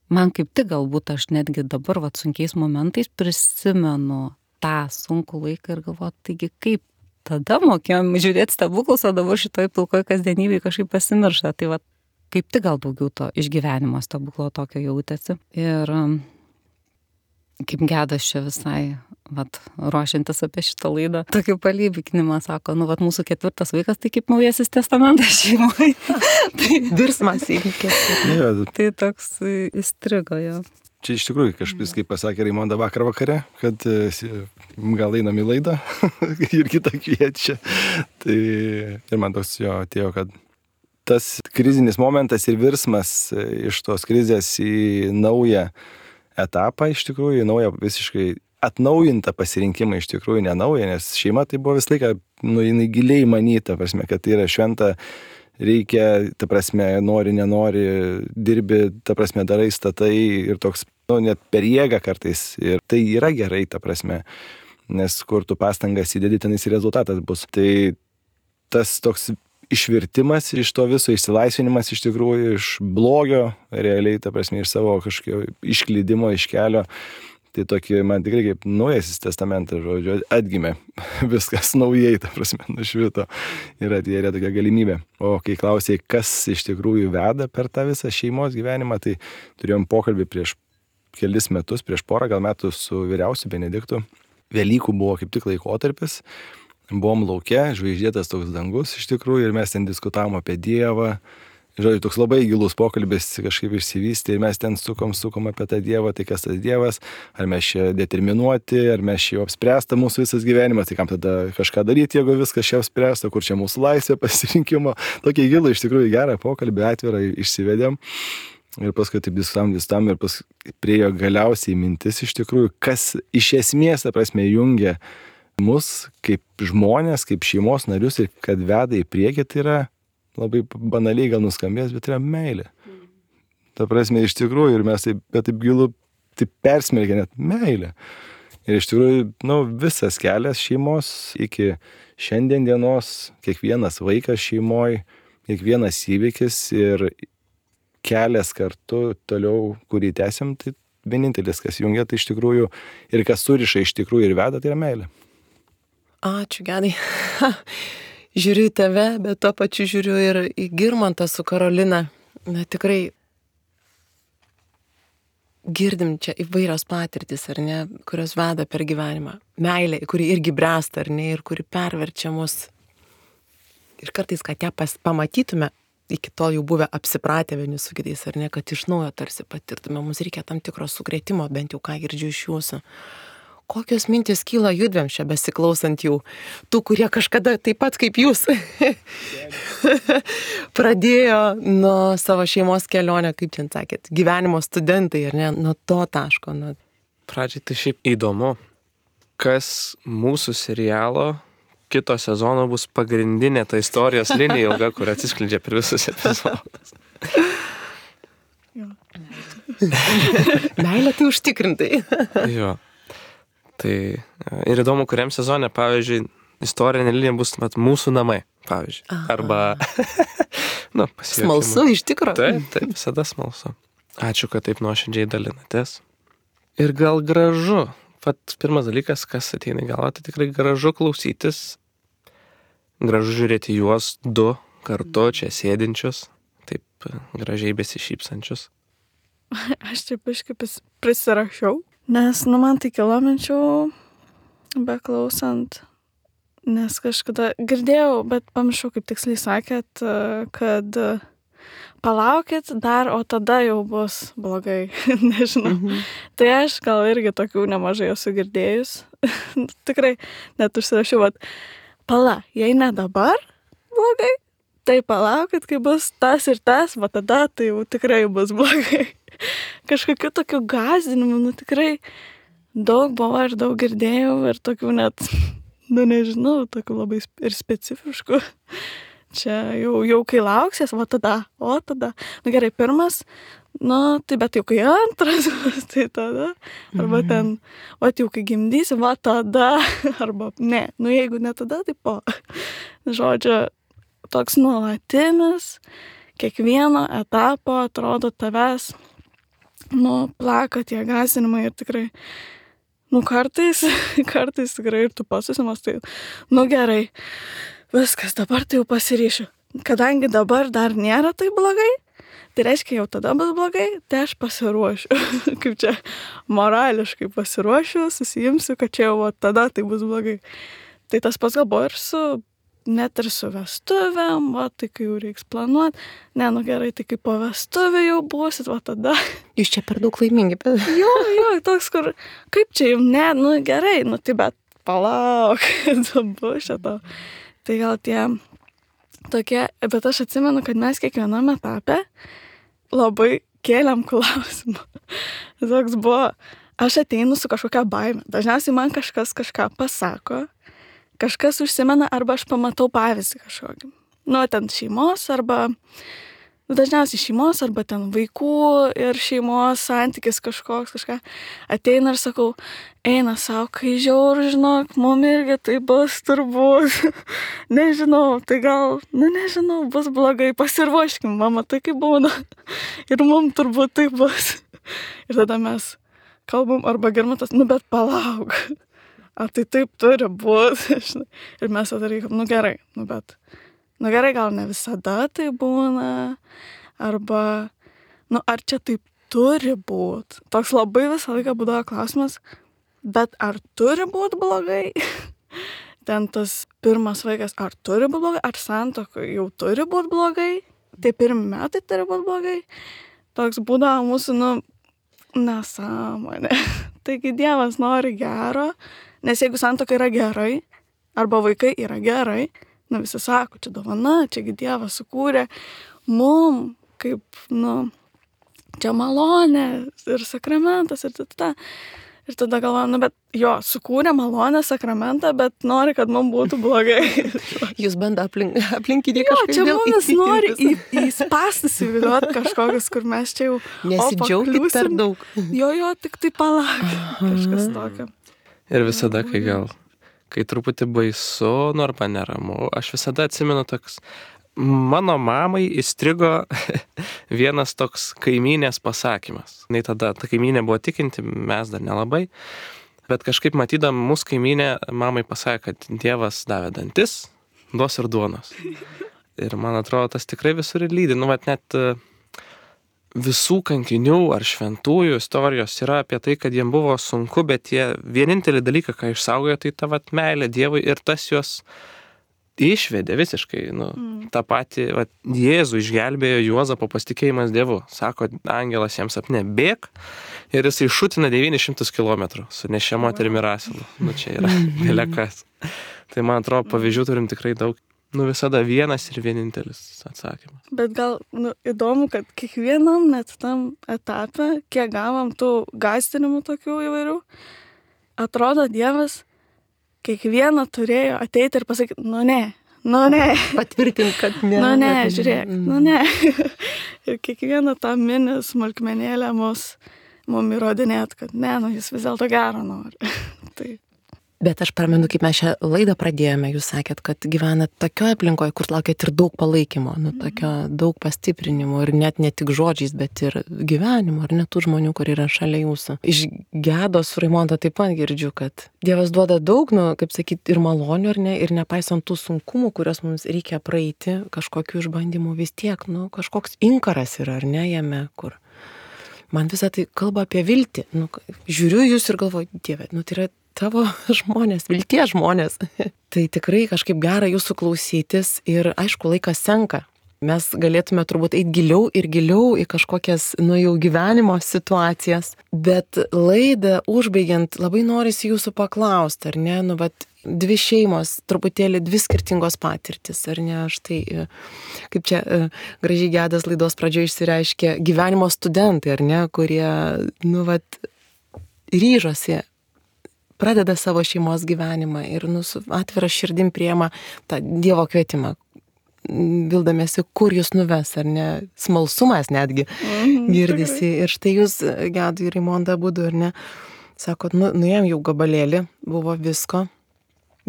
man kaip tik galbūt aš netgi dabar sunkiais momentais prisimenu tą sunkų laiką ir galvoju, taigi kaip tada mokėjom žiūrėti stebuklus, o dabar šitoj pilkoj kasdienybėje kažkaip pasimiršta. Tai va, kaip tik gal daugiau to išgyvenimo stebuklo tokio jautėsi. Ir kaip Gedas čia visai, vat, ruošiantis apie šitą laidą, tokį palyginimą sako, nu, vat, mūsų 4 vaikas, tai kaip naujasis testamentas šeimoje. Virsmas įvykė. Tai toks įstrigo jo. Čia iš tikrųjų kažkas, kaip pasakė Raimonda vakare, kad gal einam į laidą ir kitą kviečia. Tai ir man toks jo atėjo, kad tas krizinis momentas ir virsmas iš tos krizės į naują etapą, iš tikrųjų, į naują visiškai atnaujintą pasirinkimą, iš tikrųjų nenaują, nes šeima tai buvo visą laiką, nu, jinai giliai manyta, prasme, kad tai yra šventa. Reikia, ta prasme, nori, nenori, dirbi, ta prasme, darai, statai ir toks, nu, net per jėgą kartais. Ir tai yra gerai, ta prasme, nes kur tu pastangas įdedi, tenais rezultatas bus. Tai tas toks išvirtimas iš to viso, išsilaisvinimas iš tikrųjų, iš blogio, realiai, ta prasme, iš savo kažkokio išklydimo, iš kelio. Tai tokį, man tikrai kaip naujasis testamentas, žodžiu, atgimė viskas naujai, ta prasme, nušvito ir atėjo tokia galimybė. O kai klausėjai, kas iš tikrųjų veda per tą visą šeimos gyvenimą, tai turėjom pokalbį prieš kelis metus, prieš porą gal metų su vyriausiu Benediktu. Velykų buvo kaip tik laikotarpis, buvom lauke, žvaigždėtas toks dangus iš tikrųjų ir mes ten diskutavom apie Dievą. Žodžiu, toks labai gilus pokalbis kažkaip išsivystė ir mes ten sukom apie tą Dievą, tai kas tas Dievas, ar mes čia determinuoti, ar mes čia jau apspręsta mūsų visas gyvenimas, tai kam tada kažką daryti, jeigu viskas čia apspręsta, kur čia mūsų laisvė pasirinkimo. Tokį gilų, iš tikrųjų gerą pokalbį atvirą išsivedėm ir paskui taip diskutavom ir paskui priejo galiausiai mintis iš tikrųjų, kas iš esmės, ta prasme, jungia mus kaip žmonės, kaip šeimos narius ir kad veda į priekį, tai yra labai banaliai gal nuskambės, bet yra meilė. Ta prasme, iš tikrųjų, ir mes taip gilu, taip persmelkia net meilė. Ir iš tikrųjų, nu, visas kelias šeimos iki šiandien dienos, kiekvienas vaikas šeimoje, kiekvienas įvykis ir kelias kartu toliau, kurį tęsiam, tai vienintelis, kas jungia, tai iš tikrųjų, ir kas suriša iš tikrųjų ir veda, tai yra meilė. Ačiū, Gedai. Žiūriu į tave, bet tuo pačiu žiūriu ir į Girmantą su Karolina. Na, tikrai girdim čia įvairios patirtis, ar ne, kurios veda per gyvenimą. Meilė, kuri irgi bręsta, ar ne, ir kuri perverčia mus. Ir kartais, kad ją pamatytume, iki tol jau buvę apsipratę vieni su kitais, ar ne, kad iš naujo tarsi patirtume. Mums reikia tam tikro sukrėtimo, bent jau ką girdžiu iš jūsų. Kokios mintis kyla judvėm čia besiklausant jų, tų, kurie kažkada taip pat kaip jūs pradėjo nuo savo šeimos kelionę, kaip čia sakėt, gyvenimo studentai, ar ne, nuo to taško. Pradžiai tai šiaip įdomu, kas mūsų serialo kito sezono bus pagrindinė ta istorijos linija ilga, kur atsiskleidžia per visus epizodus. Meilė tai užtikrintai. Jo. Tai ir įdomu, kuriam sezone, pavyzdžiui, istorinė linija bus mūsų namai, pavyzdžiui. Aha. Arba, nu, pasijuokime. Smalsu, iš tikro. Taip, visada smalsu. Ačiū, kad taip nuoširdžiai dalinatės. Ir gal gražu, pat pirmas dalykas, kas ateina į galvą, tai tikrai gražu klausytis, gražu žiūrėti juos du kartu čia sėdinčius, taip gražiai besišypsančius. Aš čia biškai prisirašiau. Nes, nu, man tai kilo minčių, beklausant, nes kažkada girdėjau, bet pamiršau, kaip tiksliai sakėt, kad palaukit dar, o tada jau bus blogai, nežinau. Tai aš gal irgi tokių nemažai esu girdėjus. Tikrai net užsirašiau, pala, jei ne dabar blogai, tai palaukit, kai bus tas ir tas, va tada tai jau tikrai bus blogai. Kažkokių tokių gąsdinimų, nu tikrai daug buvo ir daug girdėjau ir tokių net, nu nežinau, tokių labai ir specifiškų. Čia jau kai lauksies, va tada, o tada. Nu gerai, pirmas, nu tai bet jau kai antras, tai tada. Arba ten, o jau kai gimdysi, va tada. Arba ne, nu jeigu ne tada, tai po. Žodžiu, toks nuolatinis, kiekvieno etapo atrodo tavęs, nu, plaka tie gąsdinimai ir tikrai Nu, kartais tikrai ir tu pats susimastai, nu gerai, viskas, dabar tai jau pasiryšiu. Kadangi dabar dar nėra tai blogai, tai reiškia, jau tada bus blogai, tai aš pasiruošiu. Kaip čia morališkai pasiruošiu, susijimsiu, kad čia jau tada tai bus blogai. Tai tas pats gal buvo ir net ir su vestuvėm, tai kai jau reiks planuoti. Ne, nu gerai, tai kai po vestuvė jau būsit, tada. Jūs čia per daug laimingi. Jo, toks, kur, kaip čia jau, ne, nu gerai, nu tai bet palauk, dabar šito. Tai gal tie tokie, bet aš atsimenu, kad mes kiekviename etape labai kėlėm klausimą. Toks buvo, aš ateinu su kažkokia baime. Dažniausiai man kažkas kažką pasako, kažkas užsimena arba aš pamatau pavyzdį kažkokį. Nu, ten šeimos arba, dažniausiai šeimos arba ten vaikų ir šeimos santykis kažką. Ateina ir sakau, eina savo, kai žiauru, žinok, mum irgi tai bus turbūt. Nežinau, tai gal, nežinau, bus blogai, pasiruoškim, mama, tai kaip būna. Ir mum turbūt tai bus. Ir tada mes kalbam, arba Girmantas, bet palauk. Ar tai taip turi būti? Ir mes tada reikia, gerai, bet, gerai, gal ne visada tai būna, arba, ar čia taip turi būti? Toks labai visą laiką būdavo klausimas, bet ar turi būti blogai? Ten tas pirmas vaikas, ar turi būti blogai, ar santuoka jau turi būti blogai, tie pirmi metai turi būti blogai. Toks būdavo mūsų, nesąmonė. Taigi Dievas nori gero, nes jeigu santuoka yra gerai, arba vaikai yra gerai, visi sako, čia dovana, čiagi Dievas sukūrė mum, kaip, čia malonė ir sakramentas ir tada. Ir tada galvoju, bet jo, sukūrė malonę, sakramentą, bet nori, kad mums būtų blogai. Jūs bando aplinkinį kažkaip. Čia mumis nori įspastis įviliuoti kažkokius, kur mes čia jau nesidžiaugit per daug. Jo, tik tai palauk. Kažkas tokio. Ir visada, kai truputį baisu, arba neramu, aš visada atsimenu toks, mano mamai įstrigo vienas toks kaimynės pasakymas. Nei tada ta kaimynė buvo tikinti, mes dar nelabai, bet kažkaip matydam mūsų kaimynė, mamai pasakė, kad Dievas davė dantis, duos ir duonos. Ir man atrodo, tas tikrai visur ir lydi. Net visų kankinių ar šventųjų istorijos yra apie tai, kad jiem buvo sunku, bet jie vienintelį dalyką, ką išsaugojo, tai ta meilė Dievui ir tas juos išvedė visiškai, tą patį, Jėzų išgelbėjo Juozapo pasitikėjimas Dievu. Sako, angelas jiems sapne, bėk, ir jis šutina 900 km su nešia moterimi ir asilu. Čia yra belekas. Tai man atrodo, pavyzdžių turim tikrai daug. Visada vienas ir vienintelis atsakymas. Bet gal įdomu, kad kiekvienam net tam etape, kiek gavom tų gąsdinimų tokių įvairių, atrodo Dievas kiekvieną turėjo ateiti ir pasakyti, ne. Patvirtink, kad ne. Ne, žiūrėk, ne. Ir kiekvieną tą mini smulkmenėlę mum įrodinėt, kad ne, jis vis dėlto gero nori. Tai. Bet aš pamenu, kaip mes šią laidą pradėjome, jūs sakėt, kad gyvenat tokioje aplinkoje, kur laukėt ir daug palaikymo, tokio daug pastiprinimo ir net ne tik žodžiais, bet ir gyvenimo, ar net tų žmonių, kur yra šalia jūsų. Iš Gedos Raimonda taip pat girdžiu, kad Dievas duoda daug, kaip sakyti, ir malonių, ar ne, ir nepaisant tų sunkumų, kuriuos mums reikia praeiti, kažkokių išbandymų vis tiek, kažkoks inkaras yra, ar ne, jame, kur. Man visą tai kalba apie viltį. Žiūriu jūs ir galvoju, Dieve, tai yra tavo žmonės, vilties žmonės. Tai tikrai kažkaip gera jūsų klausytis ir aišku, laikas senka. Mes galėtume turbūt eiti giliau ir giliau į kažkokias, jau gyvenimo situacijas. Bet laidą užbaigiant, labai norisi jūsų paklausti, ar ne, dvi šeimos, truputėlį dvi skirtingos patirtis, ar ne, štai, kaip čia gražiai Gedas laidos pradžioje išsireiškė, gyvenimo studentai, ar ne, kurie, ryžosi, pradeda savo šeimos gyvenimą ir su atvira širdim priema tą Dievo kvietimą, vildamėsi, kur jūs nuves, ar ne, smalsumas netgi girdisi. Ir štai jūs, Gedai ir Raimonda, abudu, ar ne, sakot, nuėjom jau gabalėlį, buvo visko,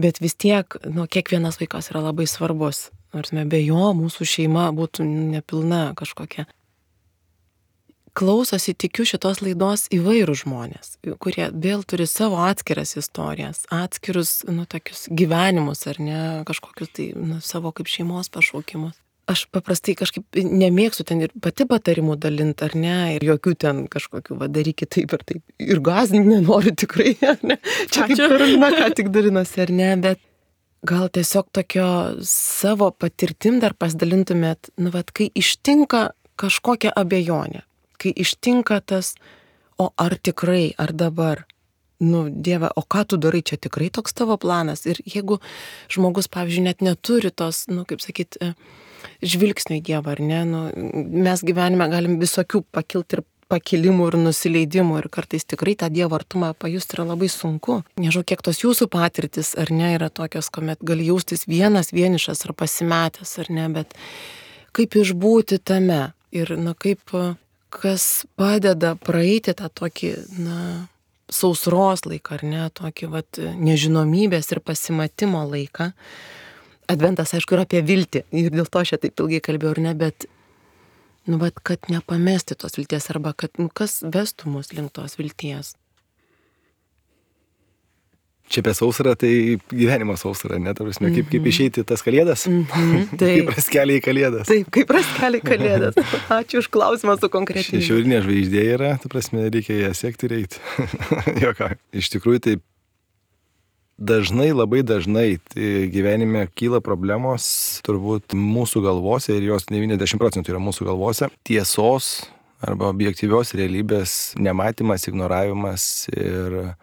bet vis tiek, kiekvienas vaikas yra labai svarbus. Nors be jo mūsų šeima būtų nepilna kažkokia. klausosi, tikiu, šitos laidos įvairūs žmonės, kurie vėl turi savo atskiras istorijas, atskirus, tokius gyvenimus, ar ne, kažkokius tai, savo kaip šeimos pašaukimus. Aš paprastai kažkaip nemėgstu ten ir pati patarimų dalinti, ar ne, ir jokių ten kažkokių, darykit taip ir taip. Ir gąsdinti nenoriu tikrai, ar ne. Čia kaip Karolina ką tik dalinosi, ar ne, bet gal tiesiog tokio savo patirtim dar pasidalintumėt, kai ištinka kažkokia abejonė, kai ištinka tas, o ar tikrai, ar dabar, Dieve, o ką tu darai, čia tikrai toks tavo planas. Ir jeigu žmogus, pavyzdžiui, net neturi tos, kaip sakyt, žvilgsnio į Dievą, ar ne, mes gyvenime galim visokių pakilti ir pakilimų ir nusileidimų ir kartais tikrai tą Dievo artumą pajusti yra labai sunku. Nežinau, kiek tos jūsų patirtis, ar ne, yra tokios, kuomet gali jaustis vienišas ar pasimetęs, ar ne, bet kaip išbūti tame ir, kaip, kas padeda praeiti tą tokį, sausros laiką, ar ne, tokį, nežinomybės ir pasimatimo laiką. Adventas, aišku, yra apie viltį ir dėl to aš taip ilgai kalbėjau, ar ne, bet, kad nepamesti tos vilties arba kad, kas vestų mus link tos vilties. Čia apie sausrą, tai gyvenimo sausrą, ne, ta prasme, kaip išeiti tas kalėdas, kaip raskelį į kalėdas. Taip, kaip raskelį į kalėdas. Ačiū už klausimą su konkrečiai. Šiaurinė žvaigždė yra, ta prasme, reikia ją sekti ir eiti. Joką. Iš tikrųjų, tai labai dažnai tai gyvenime kyla problemos, turbūt mūsų galvose, ir jos 90% yra mūsų galvose, tiesos arba objektyvios realybės nematymas, ignoravimas ir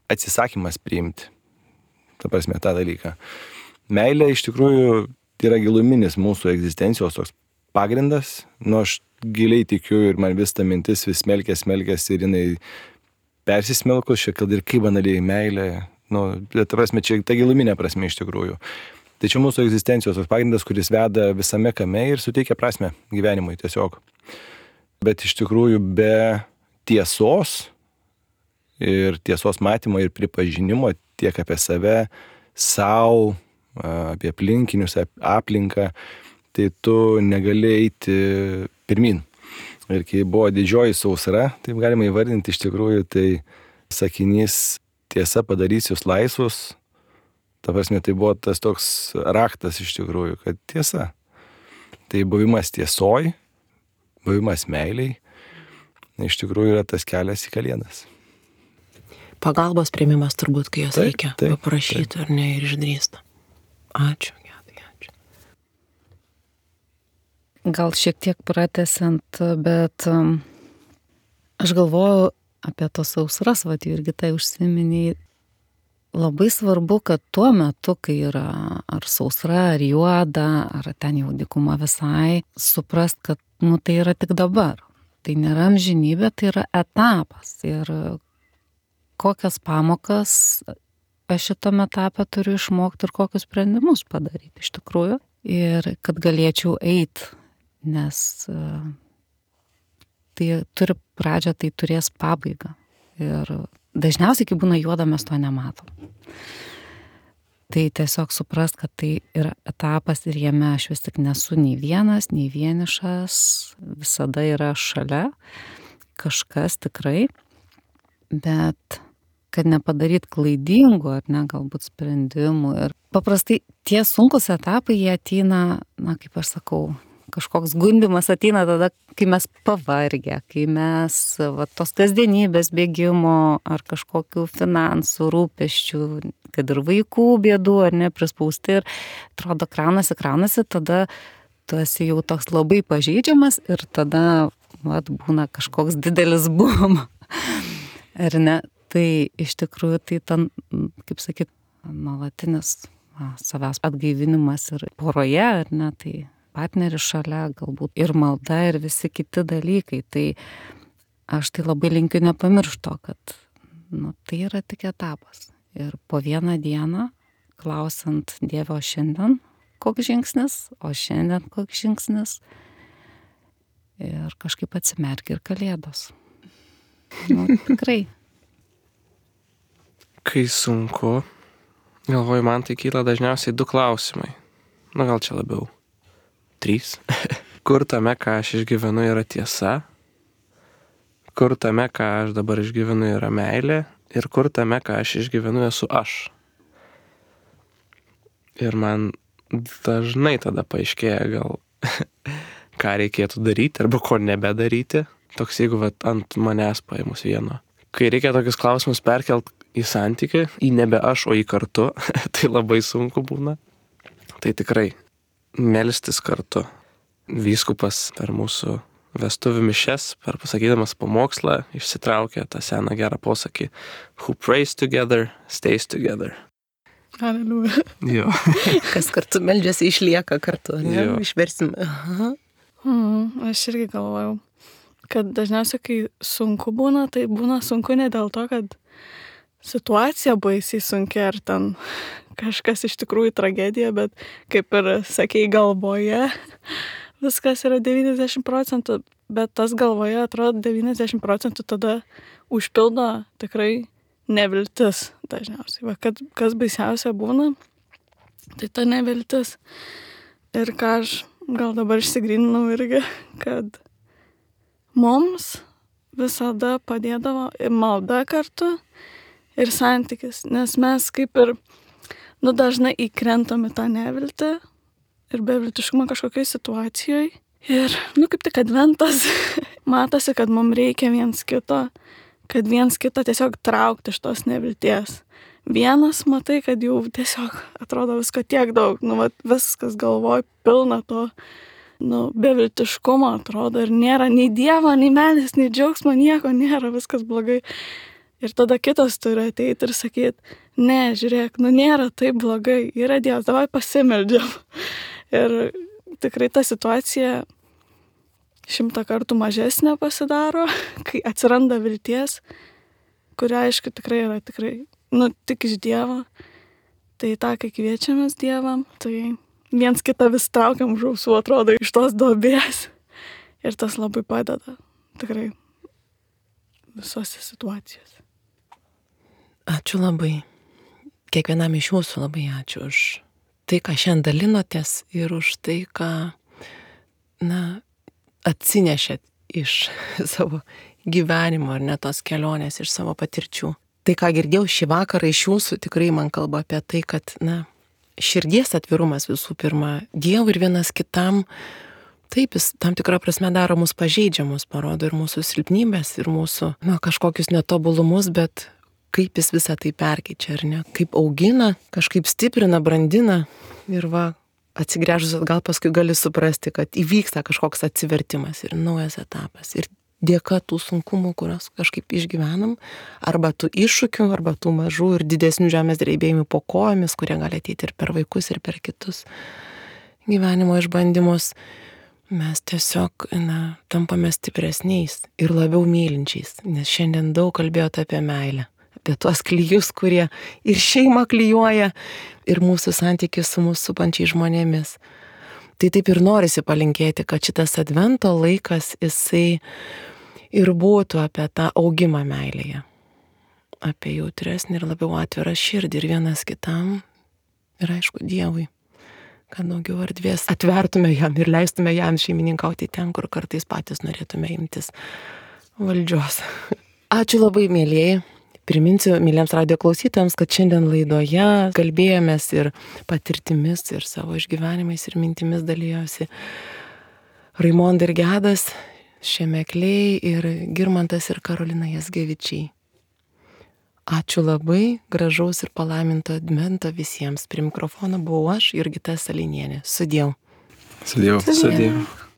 atsisakymas priimti, ta prasme, tą dalyką. Meilė iš tikrųjų yra giluminis mūsų egzistencijos toks pagrindas, aš giliai tikiu ir man vis ta mintis vis smelkės ir jinai persismelkus, kad ir kaip banaliai meilė, ta prasme, čia ta giluminė prasme iš tikrųjų. Tai čia mūsų egzistencijos toks pagrindas, kuris veda visame kame ir suteikia prasmę gyvenimui tiesiog. Bet iš tikrųjų be tiesos ir tiesos matymo ir pripažinimo tiek apie save, savo, apie aplinkinius, aplinką, tai tu negali eiti pirmin. Ir kai buvo didžioji sausra, taip galima įvardinti iš tikrųjų, tai sakinys tiesa padarys jūs laisvus, ta prasme, tai buvo tas toks raktas iš tikrųjų, kad tiesa. Tai buvimas tiesoj, buvimas meiliai, iš tikrųjų yra tas kelias į kalėdas. Pagalbos priėmimas turbūt, kai jos reikia paprašyti ar ne ir išdrįsta. Ačiū. Gal šiek tiek pratęsiant, bet aš galvoju apie tos sausras, irgi tai užsiminiai. Labai svarbu, kad tuo metu, kai yra ar sausra, ar juoda, ar ten jau dykuma visai, suprast, kad tai yra tik dabar. Tai nėra amžinybė, tai yra etapas. Ir kokias pamokas aš šitame etape turiu išmokti ir kokius sprendimus padaryti iš tikrųjų. Ir kad galėčiau eiti, nes tai turi pradžią, tai turės pabaigą. Ir dažniausiai, kai būna juoda, mes to nematom. Tai tiesiog suprast, kad tai yra etapas ir jame aš vis tik nesu nei vienas, nei vienišas, visada yra šalia kažkas tikrai, bet kad nepadaryt klaidingų ar ne, galbūt sprendimų. Ir paprastai tie sunkus etapai, jie ateina, kaip aš sakau, kažkoks gundymas ateina tada, kai mes pavargę, kai mes tos kasdienybės bėgimo ar kažkokių finansų, rūpesčių, kad ir vaikų bėdų ar ne, prispausti ir atrodo kraunasi, tada tu esi jau toks labai pažeidžiamas ir tada būna kažkoks didelis bum. Ar ne? Tai iš tikrųjų tai ten, kaip sakyt, nuolatinis savęs atgaivinimas ir poroje, ar ne, tai partneris šalia, galbūt ir malda ir visi kiti dalykai. Tai aš tai labai linkiu nepamiršto, kad tai yra tik etapas. Ir po vieną dieną, klausant Dievo šiandien, koks žingsnis, o šiandien koks žingsnis. Ir kažkaip atsimerkia ir kalėdos. Tikrai. Kai sunku, galvoju, man tai kyla dažniausiai 2 klausimai. Gal čia labiau 3. Kur tame, ką aš išgyvenu, yra tiesa? kur tame, ką aš dabar išgyvenu, yra meilė ir kur tame, ką aš išgyvenu, esu aš. Ir man dažnai tada paaiškėja gal, ką reikėtų daryti arba ko nebedaryti. Toks, jeigu ant manęs paėmus vieno. Kai reikia tokius klausimus perkelt į santykį, į nebe aš, o į kartu, tai labai sunku būna. Tai tikrai melstis kartu. Vyskupas per mūsų vestuvių mišias, per pasakydamas pamokslą, išsitraukė tą seną gerą posakį: Who prays together, stays together. Aleliuja. Jo. Kas kartu meldžiasi, išlieka kartu, ne? Jo. Išversim. Aha. Aš irgi galvojau, kad dažniausiai, kai sunku būna, tai būna sunku ne dėl to, kad situacija baisiai sunki ar ten kažkas iš tikrųjų tragedija, bet kaip ir sakei, galvoje viskas yra 90%, bet tas galvoje atrodo 90% tada užpildo tikrai neviltis dažniausiai. Va, kas baisiausia būna, tai ta neviltis. Ir ką aš gal dabar išsigryninau irgi, kad mums visada padėdavo ir malda kartu, ir santykis. Nes mes kaip ir, dažnai įkrentam į tą neviltį ir beviltiškumą kažkokiai situacijoje. Ir, kaip tik adventas, matosi, kad mums reikia viens kito, kad viens kitą tiesiog traukti iš tos nevilties. Vienas matai, kad jau tiesiog atrodo visko tiek daug, viskas galvoj pilna to, beviltiškumo atrodo ir nėra nei Dievo, nei meilės, nei džiaugsmo, nieko nėra, viskas blogai. Ir tada kitas turi ateiti ir sakyti: ne, žiūrėk, nėra taip blogai, yra Dievas, davai pasimeldžiam. Ir tikrai ta situacija 100 kartų mažesnė pasidaro, kai atsiranda vilties, kuria aišku tikrai yra tik iš Dievo. Tai tą, kai kviečiamės Dievą, tai viens kitą vis traukiam už ausų, atrodo, iš tos duobės. Ir tas labai padeda, tikrai, visose situacijose. Ačiū labai. Kiekvienam iš jūsų labai ačiū už tai, ką šiandien dalinotės ir už tai, ką, atsinešėt iš savo gyvenimo ar ne tos kelionės, iš savo patirčių. Tai, ką girdėjau šį vakarą iš jūsų, tikrai man kalba apie tai, kad, širdies atvirumas visų pirma Dievui ir vienas kitam, taip, jis tam tikrą prasme daro mus pažeidžiamus, parodo ir mūsų silpnybės, ir mūsų, kažkokius netobulumus, bet kaip jis visą tai perkeičia, ar ne? Kaip augina, kažkaip stiprina, brandina ir atsigręžus atgal paskui gali suprasti, kad įvyksta kažkoks atsivertimas ir naujas etapas. Ir dėka tų sunkumų, kurios kažkaip išgyvenam, arba tų iššūkių, arba tų mažų ir didesnių žemės drebėjimų po kojomis, kurie gali ateiti ir per vaikus, ir per kitus gyvenimo išbandymus, mes tiesiog, tampame stipresniais ir labiau mylinčiais, nes šiandien daug kalbėjote apie meilę. Apie tuos klijus, kurie ir šeimą klijuoja, ir mūsų santykius su mūsų supančiais žmonėmis. Tai taip ir norisi palinkėti, kad šitas advento laikas, jisai ir būtų apie tą augimą meilėje. Apie jautresnį ir labiau atvirą širdį ir vienas kitam, ir aišku Dievui. Kad daugiau erdvės atvertume jam ir leistume jam šeimininkauti ten, kur kartais patys norėtume imtis valdžios. Ačiū labai, mielieji. Priminsiu myliems radijo klausytojams, kad šiandien laidoje kalbėjomės ir patirtimis, ir savo išgyvenimais, ir mintimis dalyjosi Raimonda ir Gedas, Šemekliai, ir Girmantas ir Karolina Jazgevičiai. Ačiū labai, gražaus ir palaiminto advento visiems. Prie mikrofono buvau aš, Jurgita Salinienė. Sudiev. Sudiev. Sudiev.